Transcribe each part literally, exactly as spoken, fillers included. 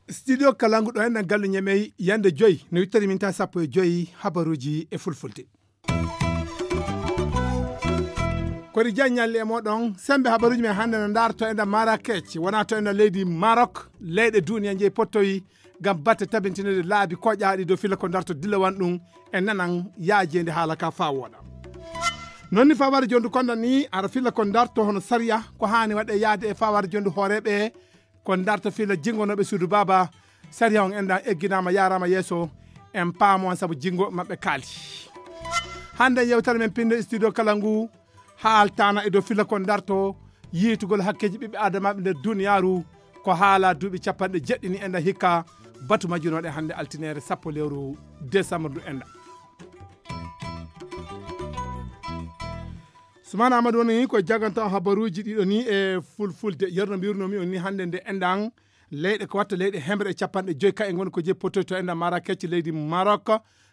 Studio Kalangu ɗo enɗan gallu ñamey yande joyi no wittani min ta sappo e joyi habaruji e fulfulde. Kori jan ñalli e moɗon sembe habaruji men hannde no ndarto enɗan Marrakech wona to enɗan leydi Maroc. Leyɗe duniya jeyi pottoyi ngam batte tabintinede laabi koƴaaɗi dow filla ko ndarto dillawan ɗum e nanan yaajeende haala ka faa wooɗa. Non ni faware jondu konda ni ara filla ko ndarto hono sariya ko haani waɗe yaade e faware jondu hooreeɓe ko ndarto filla jingonooɓe suudu baaba. Sariya on enɗan egginaama yaaraama yeeso en paamo on sabu jingo maɓɓe kaali. Hannde yewtere men pinde studio kala ngu haaltaana e dow filla ko ndarto yiitugol hakkeeji ɓiɓɓe adamaaɓe nder duniyaaru. Ko haala duuɓi capanɗe jeɗɗini enɗan hikka batu majjunooɗe hannde altineere sappo lewru décembre ndu enɗan. Sumana amadou woni ko jaganta habaruji ɗiɗo ni e fulfulde yerno mbirnomi on ni hannde nde enɗan leyɗe ko watta leyɗe hemre e capanɗe joyi ka e ngon ko je potoy to enɗan marakecce leydi maroc.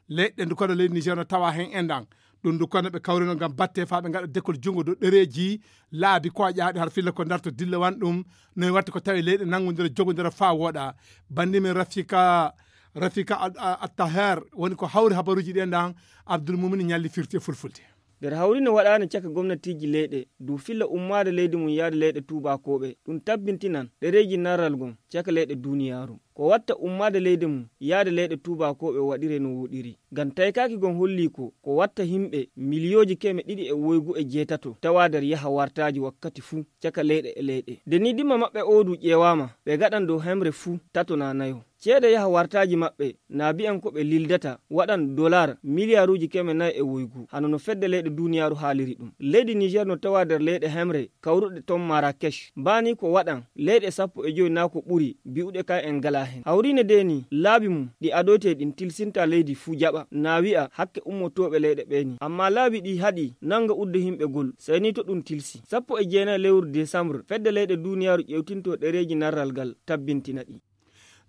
Leyɗe ndu kono leydi niger no tawa hen enɗan ɗum ndu kono ɓe kawrino ngam batte fa ɓe ngaɗa dekol junngo dow ɗereji laabi koƴaaɗi har filla ko darto dillewan ɗum. No e watta ko tawi leyɗe nanngodira jogodira fa wooɗa. Bandi men rafika rafika attaher woni ko hawri habaruji ɗi enɗan abdoul mumini ñalli firti e fulfulde. Nder hawri no waɗaani caka gomnatiiji leyɗe dow filla ummaade leydi mum yahde leyɗe tuubakooɓe ɗum tabbintinan ɗereeji narral ngon caka leyɗe duuniyaaru. Ko watta ummaade leydi mum yahde leyɗe tuubakooɓe waɗire no wooɗiri ngam taykaaki ngon hollii ko ko watta yimɓe miliyooji keme ɗiɗi e woygu e jeetato tawa nder yaha wartaaji wakkati fuu caka leyɗe e leyɗe. Nde nii dimma maɓɓe oo du ƴeewaama ɓe ngaɗan dow hemre fuu tato naa nayo. Ceede yaha wartaaji maɓɓe naa bi'an ko ɓe lildata waɗan dolaar miliyaaruuji keme nayi e woygu hano no fedde leyɗe duuniyaaru haaliri ɗum. Leydi niger no tawa nder leyɗe hemre kawruɗe ton marakech mbaani ko waɗan leyɗe sappo e joyi naa ko ɓuri bi'uɗe ka en ngalaa heen hawriine dee nii laabi mum ɗi adoytee ɗin tilsinta leydi fuu jaɓa naa wi'a hakke ummotooɓe leyɗe ɓee nii ammaa laabi ɗi haɗi nannga udde yimɓe gol sey nii to ɗum tilsi sappo e jeenayi lewru desambre fedde leyɗe duuniyaaru ƴewtinto ɗereeji narral ngal tabbintina ɗi.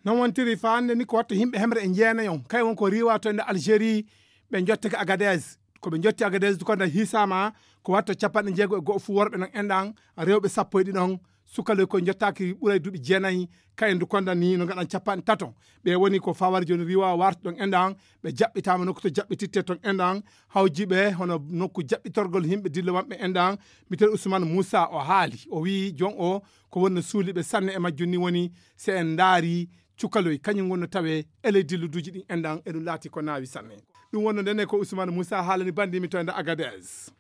Non wontiri fa hannde ni ko watta yimɓe hemre e jeenayon kay won ko riwa to ende algérie ɓe jottake agadez. Ko ɓe jotti agadez du konda hisama ko watta capanɗe jeego e go'o fuu worɓe non enɗan rewɓe sappo e ɗiɗon sukaloy koye jottaaki ɓuray duuɓi jeenayi. Kayen du konda ni no ngaɗan capanɗe tato ɓe woni ko fawari jooni riwa warta ɗon enɗan ɓe jaɓɓitama nokku to jaɓɓititte ton enɗan hawjiɓe hono nokku jaɓɓitorgol yimɓe dille wanɓe enɗan. Miten ousmane moussa o haali o wii jon o ko wonno suuliɓe sanne e majjum ni woni si en ndaari cukaloy kañum wonno tawe e ley dilluduuji ɗin enɗan eɗum laati ko naawi sanne. Ɗum wonno ndene ko ousmane moussa haalani bandimi to enda agadez.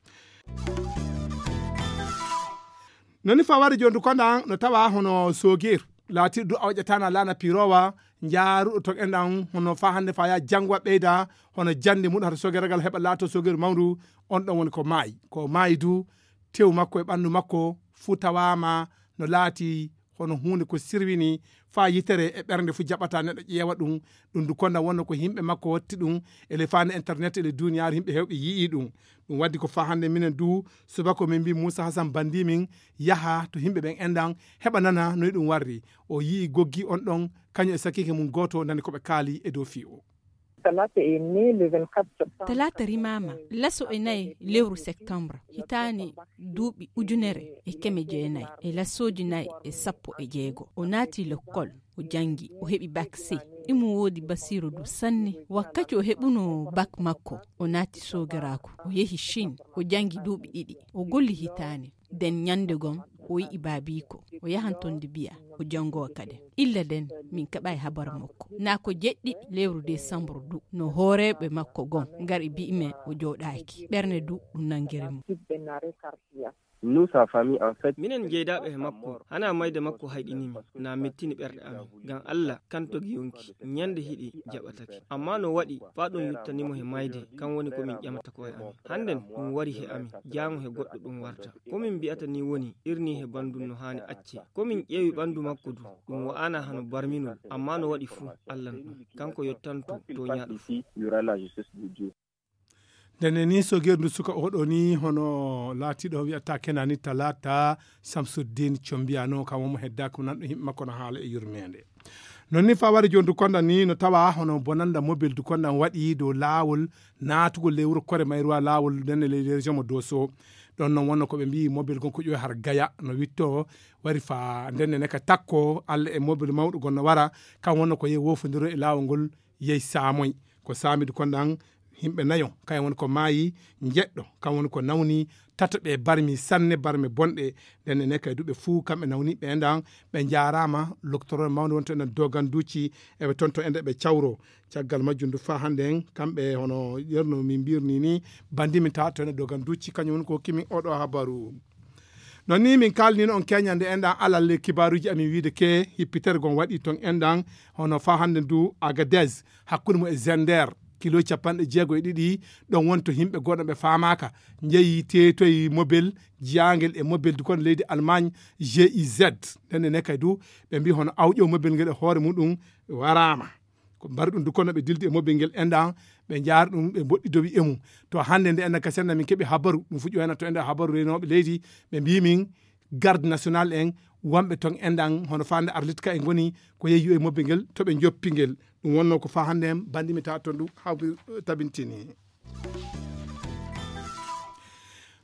Noni fawade jondu konɗan no tawa hono sogir laati du awƴatana laana pirowa njaaruɗo to enɗan hono fa hannde fa ya janngo ɓeyda hono jannde mum hata sogiragal heɓa laato sogir mawdu. On ɗon woni ko maayi ko maayi du tew makko e ɓanndu makko fuu tawaama no laati hono huunde ko sirwini faa yitere e ɓernde fuu jaɓata neɗɗo ƴeewa ɗum. Ɗum du konda wonno ko yimɓe makko watti ɗum e le faande internet e le duniyaaru yimɓe heewɓe yi'i ɗum. Ɗum waddi ko faa hannde minen du subako min mbi muusa hasan bandi min yaha to yimɓe ɓen enɗan heɓa nana noy ɗum warri. O yi'i goggi on ɗon kañum e sakiike mum gooto nani ko ɓe kaali e dow fii o. Talaata rimaama laso e nayi lewru septembre hitaani duuɓi ujunere e keme jeenayi e lasooji nayi e sappo e jeego. O naati lekkol, o janngi, o heɓi bak sey. Imo woodi basiiru du sanne. Wakkati o heɓunoo bak makko, o naati soogiraaku, o yehi Chine, o janngi duuɓi ɗiɗi, o golli hitaani. Den ñande gom o yi'i baabiiko o yahan ton de biya o jangowa kaden. Illa den min keɓay habar makko na ko jeɗɗi lewru desambru du no hooreɓe makko gom ngari bi'i men o jooɗaaki ɓerne du ɗum nangiri mo. Minen jeydaaɓe he makko hana mayde makko hayɗinimi na mettini ɓerɗe amin. Ngam Allah kan togi yonki ñande hiɗi jaɓatake. Amma no waɗi faa ɗum yuttanimo he mayde kan woni ko min ƴamata koye amin. Hannden ɗum wari he amin jaango he goɗɗo ɗum warta. Ko min mbi'ata ni woni irni he banndum no haani acce. Ko min ƴeewi ɓanndu makko du ɗum wa'ana hano barminol amma no waɗi fuu Allah no ɗum kanko yottanto tooñaaɗo fuu. Ndenne ni sogeer ndu suka oɗo ni hono laatiɗo wiyata kenani talata samsuddin combiyano kam omo hedda ko nanɗo yimɓe makko no haala e yurmede. Non ni fawari joni dukonda ni no tawa hono bonanda mobil dukonda waɗi dow laawol naatugol ley wuro kore mayruwa laawol nden e ley région mo doso. Ɗon non wonno ko ɓe mbiyi mobil gon ko ƴoy har gaya no witto wari fa ndenne ne ka takko alla e mobil mawɗo gon no wara. Kan wonno ko yehi wofodiro e laawol ngol yehi saamoy ko saami dukonda an himɓe nayo kayen woni ko maayi njeɗɗo kan woni ko nawni tato ɓe barmi sanne barme bonɗe. Nden ene kay duɓe fuu kamɓe nawniɓe enɗan ɓe njaaraama loktoro mawde wonto enen doganduuci eɓe toon to ende ɓe cawro. Caggal majjum du faa hannde en kamɓe hono yerno min mbirni ni bandimi ta to ene doganduuci kañum woni ko hokkimi oɗo habaru. Non ni min kalnino on keñande enɗan alal le kibaruji amin wiide ke hippitere gon waɗi ton enɗan hono faa hannde du agades hakkunde mum e zender kilo capanɗe jeego e ɗiɗi. Ɗon woni to yimɓe goɗɗo ɓe faamaaka njeyi teetoyi mobel jiyangel e mobel du kon leydi allemagne. Giz nden ene kay du ɓe mbi hono awƴo mobel ngel e hoore muɗum waraama. Ko mbari ɗum du kono ɓe dildi e mobel ngel enɗan ɓe njaari ɗum ɓe mboɗɗi dowi e mum. To hannde nde enɗan ka senna min keɓi habaru ɗum fuɗi wayna to enɗan habaru renooɓe leydi ɓe mbi min garde national en wonɓe toon enɗan hono fande arlitka e ngoni ko yeeyi e mobbe ngel to ɓe joppi ngel. Ɗum wonno ko fa hannde en bandimi ta toon ɗum hawbi tabintini.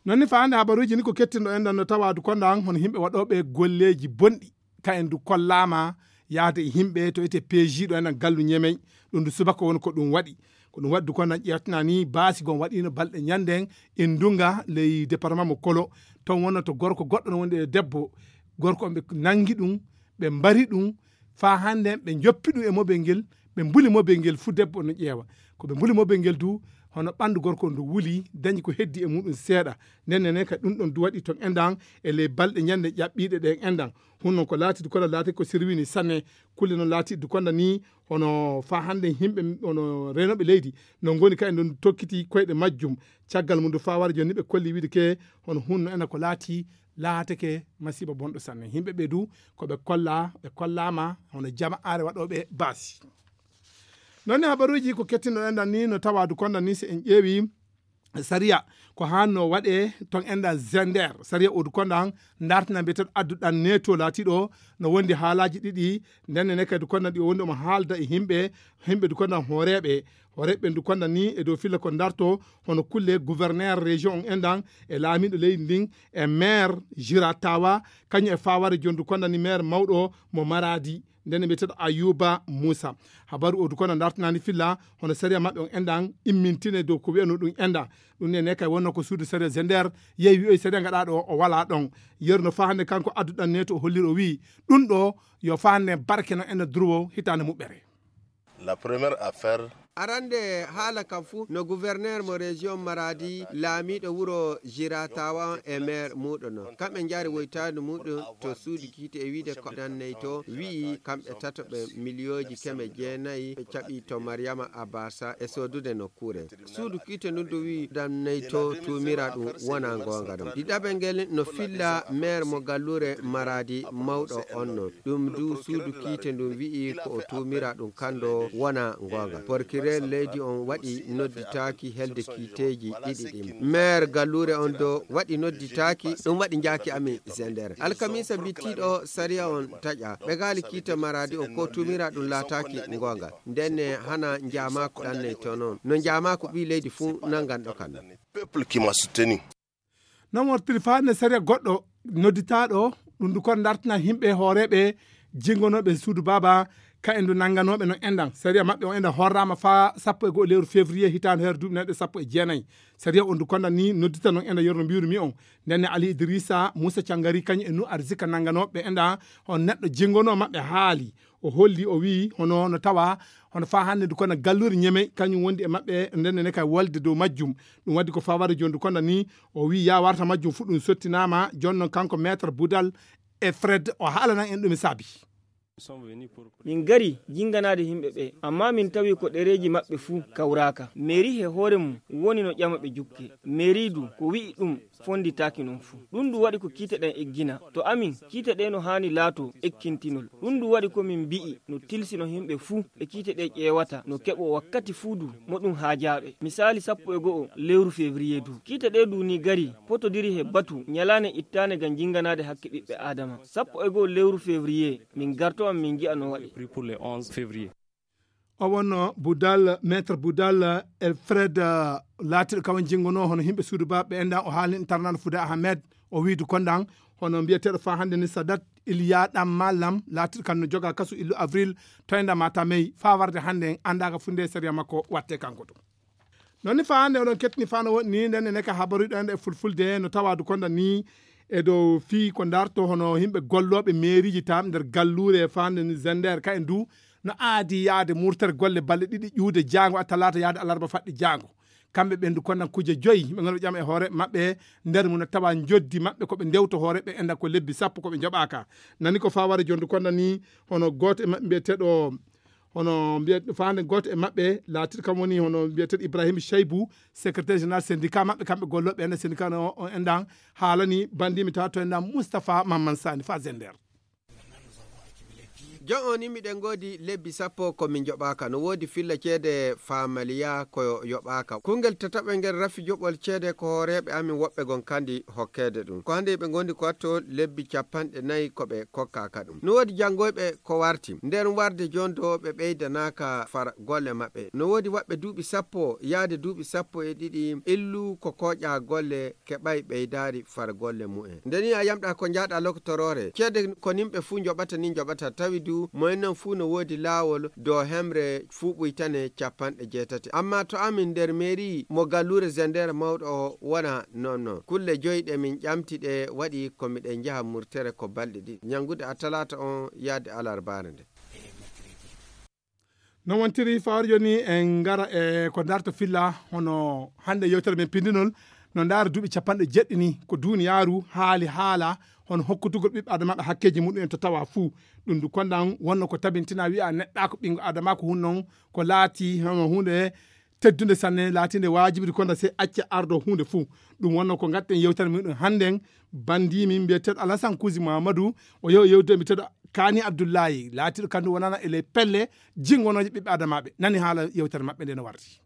Non ni fa hannde habaruuji ni ko kettinɗo enɗan no tawa du konda an hono yimɓe waɗooɓe golleeji bonɗi ka en du kollaama yahde e yimɓe to ete peejiiɗo enɗan gallu ñemey. Ɗum du subaka woni ko ɗum waɗi ko ɗum waɗi du konda ƴeewtina ni baasi gon waɗiino balɗe ñande en e ndunga ley département mo kolo. Toon wonno to gorko goɗɗo no wondi e debbo gorko on ɓe nangi ɗum ɓe mbari ɗum faa hannde ɓe njoppi ɗum e mobel ngel ɓe mbuli mobel ngel fuu debbo no ƴeewa ko ɓe mbuli mobel ngel du hono ɓanndu gorko on du wuli dañi ko heddi e muɗum seeɗa. Nden nene kadi ɗum ɗon du waɗi toon enɗan e ley balɗe ñande ƴaɓɓiiɗe ɗen enɗan hunnon ko laati du kono laati ko sirwini sanne. Kulle noon laati du konda ni hono faa hannde yimɓe hono reenooɓe leydi no ngoni kadi ɗon tokkiti koyɗe majjum. Caggal mum du faa wara jooni ɓe kolli wiide ke hono hunno ena ko laati laatake masiiba bonɗo sanne yimɓe ɓe du ko ɓe kolla ɓe kollaama hono jama are waɗooɓe baasi. Noon ni habaruuji ko kettinɗo enɗan ni no tawa du konda ni so en ƴeewi sariya ko hanno waɗe ton enɗan zender sariya o du konda dartina mbiyeteɗo adduɗan neto laatiɗo no wondi haalaaji ɗiɗi. Nden ne kadi du konda ɗi o wondi omo haalda e yimɓe yimɓe du konda hooreeɓe hooreeɓe du konda ni e dow filla ko darto hono kulle gouverneur région on enɗan e laamiɗo leydi ndin e maire jiratawa kañum e faware joni du konda ni maire mawɗo mo maradi. Nden mbiyeteɗo ayuba moussa habaru o du kono dartinani filla hono sariya maɓɓe on enɗan immintine dow ko wiyano ɗum enɗan. Ɗum ne ne kay wonno ko suudu sariya zender yehi wiyoy sariya gaɗa ɗo o wala ɗon. Yeru no fa hannde kanko adduɗan ne to o holliri o wiyi ɗum ɗo yo fa hannde barke no enɗan durwo hitande muɓɓere. La première affaire. Arande haala kam fuu no gouverneur mo région maradi laamiɗo wuro jiratawa on e maire muɗo non kamɓe jaari woytani muɗum to suudu kiite e wiide ko danney to wi'i kamɓe tato ɓe miliyoji keme jeenayi ɓe caɓi to mariama abasa e sodude nokkure. Suudu kiite ndun du wi'i danney to tumira ɗum wona gonga ɗum ɗiɗaɓe ngel no filla maire mo gallure maradi mawɗo on non. Ɗum du suudu kiite ndun wi'i ko o tumira ɗum kando wona gonga porkirer leydi on waɗi nodditaaki helde kiiteeji ɗiɗi ɗin. Maire gallure on do waɗi nodditaaki ɗum waɗi njaaki amin zender alkamisa bittiɗo sariya on taƴa ɓe gaali kiite maradi on ko tumira ɗum laataaki gonga. Ndenne hana njamako ɗanney to non no njamako ɓi leydi fuu nanganɗo kan. Peuple qui m'a soutenu. Non wortiri faa nde sariya goɗɗo nodditaaɗo ɗum du kon dartina yimɓe hooreeɓe jingonooɓe suudu baaba ka en du nannganooɓe no enɗan sariya maɓɓe on enɗan horraama faa sappo e go'o lewru février hitaande heere duuɓi nayɗo sappo e jeenayi. Sariya on du konda ni noddita non enɗan yorno mbiwru mi on. Ndenne ali idrissa moussa cangari kañum e nu arzika nannganooɓe enɗan on neɗɗo jingonoo maɓɓe haali o holli o wiyi hono no tawa hono faa hannde du kono gallure ñeme kañum wondi e maɓɓe ndenne ne kay wolde dow majjum. Ɗum waɗi ko fawade joni du kono ni o wiyi ya warta majjum fuu ɗum sottinaama joni noon kanko maître boudal e fred o haalanan en ɗum e saabi. Min ngari jinnganaade yimɓe ɓee, ammaa min tawi ko ɗereeji maɓɓe fuu kawraaka. Meeri he hoore mum woni no ƴama ɓe jukke. Meeri du ko wi'i ɗum fonnditaaki noon fuu. Ɗum du waɗi ko kiite ɗen eggina. To amin, kiite ɗee no haani laatoo ekkintinol. Ɗum du waɗi ko min mbi'i no tilsi no yimɓe fuu ɓe kiite ɗee ƴeewata no keɓoo wakkati fuu du mo ɗum haajaaɓe. Misaali sappo e go'o lewru feebriye du. Kiite ɗee du ni gari potodiri he batu ñalaande ittaande ngam jinnganaade hakke ɓiɓɓe Aadama. Sappo e go'o lewru feebriye min ngartoo Min ngi'a no waɗi. Pris pour le onze février. O wonno Boudal, maître Boudal, eh, Fred, eh, laatiiɗo kawan jinngonoo hono yimɓe suudu ba ɓe endan o haalni tarnano Fouda Ahmed, o wiidu kondan hono mbiyeteeɗo fa hannde ni Sadat Iliya ɗam mallam laatiiɗo kan no joga kasu illu avril toynda matamey fa warde hannde en anndaaka funde sariya makko watte kanko to. Noon ni fa hannde oɗon kettini fa no woɗni nden ene ka habaruɗo en e fulfulde no tawadu konda ni e dow fii ko darto hono yimɓe gollooɓe meeriiji tam nder galluure e fa hannde ni zender ka en du no aadi yaade murtere golle balɗe ɗiɗi ƴuude jaango a talaata yaade alarba faɗɗi jaango. Kamɓe ɓendu kondan kuje joyi ɓe nganndu ƴam e hoore maɓɓe nder mum no tawa njoddi maɓɓe ko ɓe ndewto hoore ɓe enda ko lebbi sappo ko ɓe njoɓaaka. Nani ko fa wari jondu kondan ni hono gooto e maɓɓe mbiyeteeɗo hono mbiye faande gooto e maɓɓe laatiiɗo kam woni hono mbiyeteeɗo Ibrahim Cheybu, secrétaire général syndicat maɓɓe kamɓe gollooɓe enda syndicat no o endan haalani bandimi tawa to endan Moustapha Mamman Sani fa zender. Jon o ni miɗen ngoodi lebbi sappo ko min njoɓaaka no woodi filla ceede famaliya ko yoɓaaka kungel tataɓel ngel rafi joɓol ceede ko hooreeɓe amin woɓɓe gon kandi hokkeede ɗum ko hannde ɓe ngondi ko watto lebbi capanɗe nayi ko ɓe kokkaaka ɗum no woodi janngoyɓe ko warti nder warde jondo ɓe ɓeydanaaka far golle maɓɓe no woodi waɓɓe duuɓi sappo yaade duuɓi sappo e ɗiɗi illu ko kooƴa golle keɓay ɓeydaari far golle mumen nde ni a yamɗa ko njaaɗa lokotoroore ceede ko nimɓe fuu njoɓata ni njoɓata tawi du moyen non fuu no woodi laawol dow hemre fuu ɓuytane capanɗe jeetati amma to amin nder mairie mo galluure zender mawɗo o wona non non kulle joyi ɗe min ƴamti ɗe waɗi ko miɗen njaha murtere ko balɗe ɗiɗi ñanngude a talaata on yaade alarbaare nde. No wontiri fawar joni en ngara e ko darto filla hono hannde yewtere men pindinol no ndaara duuɓi capanɗe jeɗɗi ni ko duniyaaru haali haala hono hokkutugol ɓiɓɓe adamaaɓe hakkeeji muɗum en to tawa fuu ɗum du kondan wonno ko tabintina wiya neɗɗa ko ɓinngo adama ko hun non ko laati hono hunde teddunde sanne laatinde waajibiri konda sey acca ardo hunde fuu ɗum wonno ko ngatten yewtere muɗum hannden bandimi mbiyeteeɗo alasan kusi mamadou o yew yewde mbiyeteeɗo kani abdoullahi laatiiɗo kandu wonana e ley pelle jingonooje ɓiɓɓe adamaaɓe nani haala yewtere maɓɓe nde no wardi.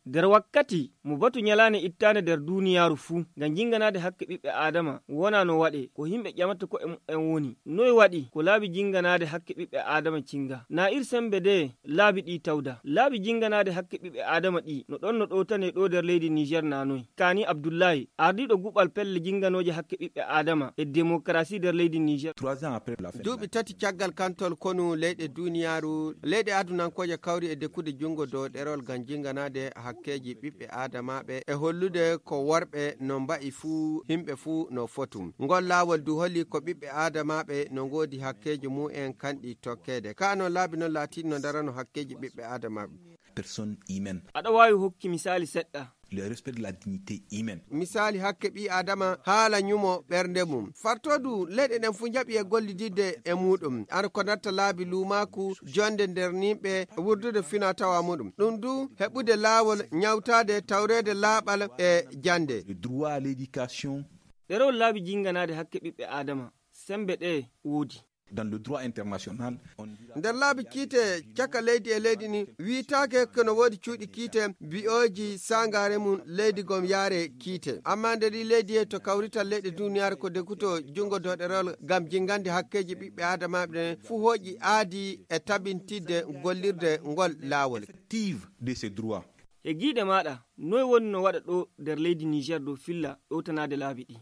Nder wakkati mo batu ñalaande ittaande nder duuniyaaru fuu ngam jinnganaade hakke ɓiɓɓe aadama wonaa no waɗee ko yimɓe ƴamata ko'e mumen woni noy waɗi ko laabi jinnganaade hakke ɓiɓɓe aadama cinnga na ir semmbe de laabi ɗi tawda laabi jinnganaade hakke ɓiɓɓe aadama ɗi no ɗon no ɗowtanee ɗo nder leydi niger na noy kani abdullahi ardiiɗo guɓal pelle jinnganooje hakke ɓiɓɓe aadama e demokarasi nder leydi niger. Duuɓi tati caggal kantol konu leyɗe duniyaaru leyɗe adunankooje kawri e dekkude junngo dow ɗerol ngam jinnganaade hakkeeji ɓiɓɓe aadamaaɓe e hollude ko worɓe no mba'i fuu yimɓe fuu no fotum ngol laawol du holi ko ɓiɓɓe aadamaaɓe no ngoodi hakkeeji mumen kanɗi tokkeede ka non laabi non laatiiɗi no ndarano hakkeeji ɓiɓɓe aadamaaɓe. Personne humaine. Aɗa waawi hokki misaali seɗɗa. Le respect de la dignité humaine. Misaali hakke ɓii adama haala ñumo ɓernde mum fartodu leyɗe ɗen fuu njaɓi e gollididde e muɗum ar ko natta laabi luumaaku jonde nder nimɓe wurdude fina tawa muɗum ɗum du heɓude laawol ñawtaade tawreede laaɓal e jannde. Le droit à l'éducation. Ɗerewol laabi jinnganaade hakke ɓiɓɓe aadama semmbe ɗe woodi. Dans le droit international. Nder laabi kiite caka leydi e leydi ni wiytaake kono woodi cuuɗi kiite bi'ooji sangaare mum leydi gom yaare kiite amma nder ɗi leydi e to kawrital leyɗe duniyaaru ko dekuto junngo doɗerol ngam jinngande hakkeeji ɓiɓɓe aadamaaɓe ɗen fuu hooƴi aadi e tabintidde gollirde ngol laawol. Effective de ces droits. E giiɗe maaɗa noy woni no waɗa ɗo nder leydi niger dow filla ɗowtanaade laabi ɗi.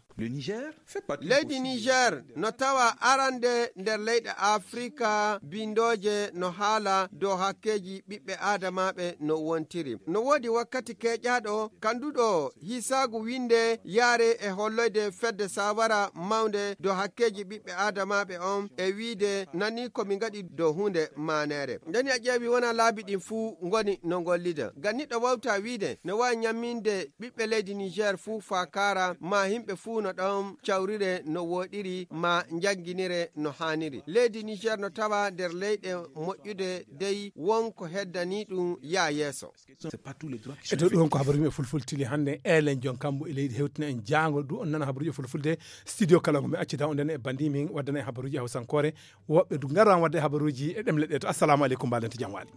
Leydi niger no tawa arande nder leyɗe afrika bindooje no haala dow hakkeeji ɓiɓɓe aadamaaɓe no wontiri no woodi wakkati keeƴaaɗo kanduɗo hisaagu winde yaare e holloyde fedde sawara mawnde dow hakkeeji ɓiɓɓe aadamaaɓe on e wiide nani ko mi ngaɗi dow huunde maaneere ndeni a ƴeewi wona laabi ɗin fuu ngoni no ngollida ngam niɗɗo wawta wiide no waawi ñamminde ɓiɓɓe leydi niger fuu faa kaara maa yimɓe fuu no ɗon cawrire no wooɗiri maa njannginire no haaniri leydi niger no tawa nder leyɗe moƴƴude dey won ko heddanii ɗum yaa yeeso. E dow ɗum ko habaruuji e fulfulde tili hannde elen jon kambo e leydi hewtina en jaango ɗum on nana habaruuji e fulfulde studio kala ngo mi accida on ndene e bandi min waddana en habaruuji e hawsankoore woɓɓe du ngaran wadde habaruuji e ɗemle ɗe to assalamu aleykum mbaɗen to jam waali.